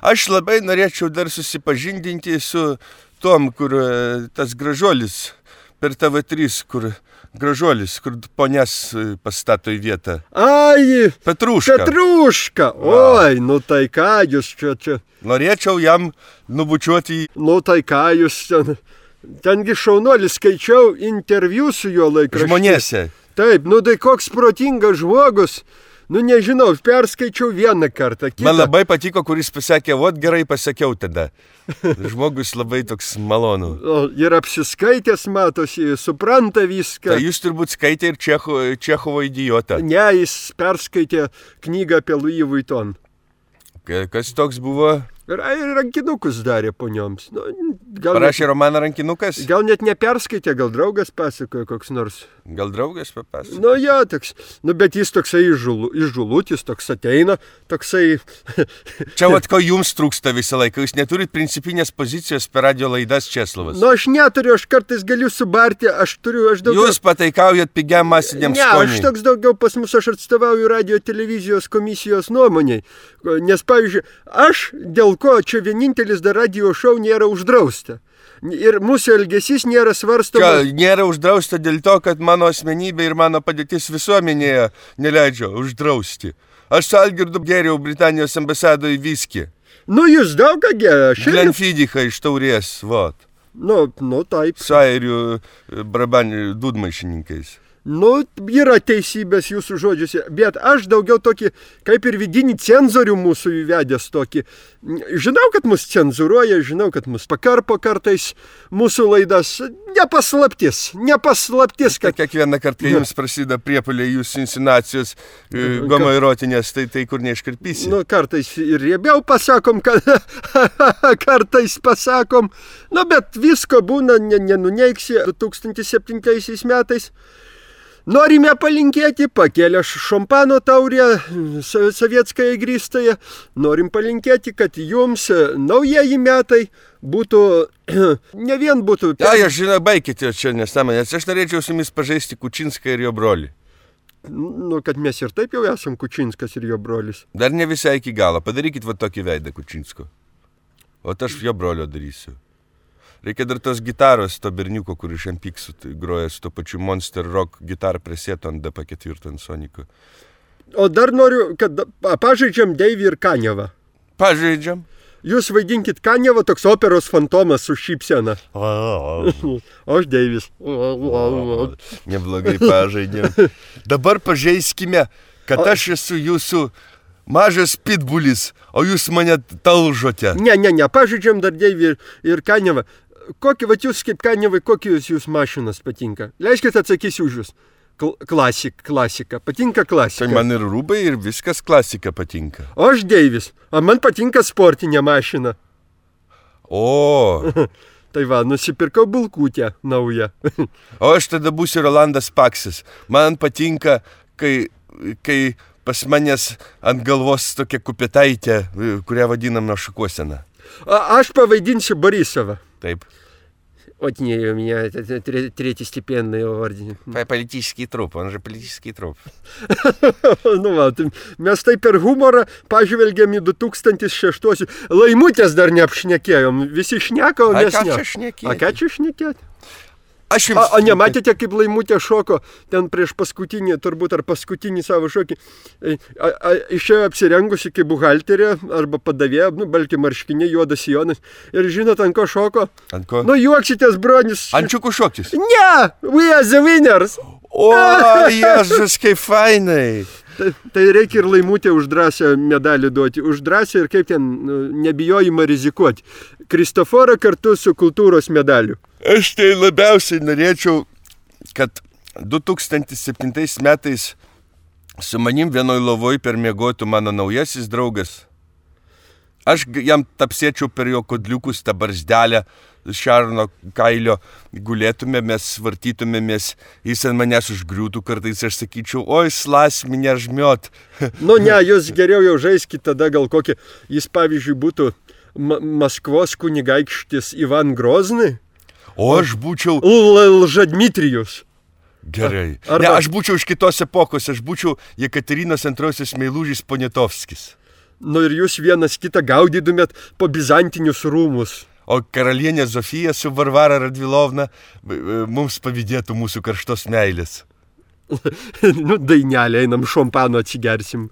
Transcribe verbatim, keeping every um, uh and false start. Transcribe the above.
Aš labai norėčiau dar susipažindinti su tom, kur tas Gražuolis per T V trys, kur Gražuolis, kur ponias pastato į vietą. Ai, Petruška. Petruška. Oi, nu tai ką jūs čia čia. Norėčiau jam nubučiuoti. Nu tai ką jūs ten. Tengi šaunuolis, skaičiau interviu su juo laikraštyje. Žmonėse. Taip, nu tai koks protingas žmogus. Nu nežinau, perskaičiau vieną kartą. Kitą. Man labai patiko, kuris pasakė, vot gerai pasakiau tada. Žmogus labai toks malonu. O, ir apsiskaitęs matosi, supranta viską. Tai jūs turbūt skaitė ir Čecho, Čechovo idiotą. Ne, jis perskaitė knygą apie Louis Vuitton. Kas toks buvo? Ir, ir rankinukus darė ponioms. Nu, gal Parašė net, romaną rankinukas? Gal net neperskaitė, gal draugas pasakojo koks nors. Gal draugas papasakojo? Nu jo, toks. Nu bet jis toksai išžulutis, toks ateina, toksai... Čia vat ko jums trūksta visą laiką. Jūs neturit principinės pozicijos per radio laidas, Česlovas. Nu aš neturiu, aš kartais galiu subarti, aš turiu, aš daugiau... Jūs pataikaujat pigiam masiniam ne, skoniui. Ne, aš toks daugiau pas mus, aš atstovauju radio televizijos komisijos nuomoniai. Nes, pavyzdžiui, aš dėl ko čia vienintelis dar radio šou nėra uždrausta. Ir mūsų elgesys nėra svarstomas. Čia nėra uždrausta dėl to, kad mano asmenybė ir mano padėtis visuomenėje neleidžia uždrausti. Aš su Algirdu geriau Britanijos ambasadoje viskį. Nu, jūs daug ką geria. Glenfiddich iš Taurės, vot. Nu, nu, taip. Su airių brabanių dūdmaišininkais. Nu, yra teisybės jūsų žodžiuose, bet aš daugiau tokį, kaip ir vidinį cenzorių mūsų įvedęs tokį. Žinau, kad mus cenzuruoja, žinau, kad mus pakarpo kartais mūsų laidas. Nepaslaptis, nepaslaptis, kad... Tai kiekvieną kartą, kai jums prasideda priepulė jūsų insinuacijos gomoerotinės, tai, tai kur neiškarpysi. Nu, kartais ir riebiau pasakom, kad... kartais pasakom. Nu, bet visko būna, nenuneiksi du tūkstančiai septintaisiais metais. Norime palinkėti, pakėlę šampano taurę sovietskąją grįstąją, norim palinkėti, kad jums naujieji metai būtų, ne vien būtų... Per... Ja, aš žinau, baikite čia nesąmonės, aš norėčiau su jumis pažaisti Kučinską ir jo brolį. Nu, kad mes ir taip jau esam Kučinskas ir jo brolis. Dar ne visai iki galo, padarykit va tokį veidą Kučinsko. O aš jo brolio darysiu. Reikia dar tos gitaros, to berniuko, kur iš Ampiksų tai groja su to pačiu Monster Rock gitarą presėto ant D P keturi ant Sonico. O dar noriu, kad pažaidžiam Deivį ir Kanievą. Pažaidžiam. Jūs vaidinkit Kanievą, toks operos fantomas su šypsena. O aš Deivis. Neblogai pažaidėm. Dabar pažaiskime, kad aš esu jūsų mažas pitbulis, o jūs mane talžote. Ne, ne, ne, pažaidžiam dar Deivį ir, ir Kanievą. Kokį, va jūs kaip Kanievai, kokios jūs mašinas patinka? Leiskit atsakysiu už jūs. Kl klasik, klasika. Patinka klasika. Tai man ir rūbai, ir viskas klasika patinka. O aš Deivis. O man patinka sportinė mašina. O. Tai va, nusipirkau bulkutę naują. O aš tada būsiu Rolandas Paksas. Man patinka, kai... kai pas manęs ant galvos tokia kupetaitė, kurią vadinam nuo šukuosena. А, aš pavaidinsiu Borisovą. Taip. Вот не, у меня третьестепенный орден. Политический труп, он же политический труп. Nu, va, mes taip per humorą pažvelgėm į du tūkstančiai šeštosius. Laimutės dar neapšnekėjom. Visi šneka, o mes ne. A ką čia šnekėti? A ką čia šnekėti? Aš jums... A, a nematėte, kaip Laimutė šoko ten prieš paskutinį, turbūt ar paskutinį savo šokį, a, a, išėjo apsirengusi kaip buhalterė arba padavėja, nu, balti marškiniai, juodas sijonas. Ir žinot, ant ko šoko? Ant ko? Nu, juoksitės, bronis. Ant čiukų šoktis? Ne, we are the winners. O, Jėzus, kaip fainai. Tai, tai reikia ir Laimutė už drąsią medalį duoti. Už drąsią ir kaip ten nebijojimą rizikuoti. Kristoforą kartu su kultūros medaliu. Aš tai labiausiai norėčiau, kad du tūkstančiai septintais metais su manim vienoj lovoj permiegotų mano naujasis draugas. Aš jam tapsėčiau per jo kodliukus tą barzdelę, šarno kailio, gulėtumėmės, vartytumėmės, jis ant manęs užgriūtų kartais, aš sakyčiau, oi, slasmi, nežmiot. Nu ne, jūs geriau jau žaiskit tada gal kokį, jis pavyzdžiui būtų Ma Maskvos kunigaikštis Ivan Grozny. O aš būčiau... Lžadmitrijus. Gerai. Arba... Ne, aš būčiau iš kitos epokos, aš būčiau Jekaterinos antrosios meilužis Poniatovskis. Nu ir jūs vienas kitą gaudydumėt po bizantinius rūmus. O karalienė Zofija su Varvara Radvilovna mums pavydėtų mūsų karštos meilės. Nu, dainelė, einam šampano atsigersim.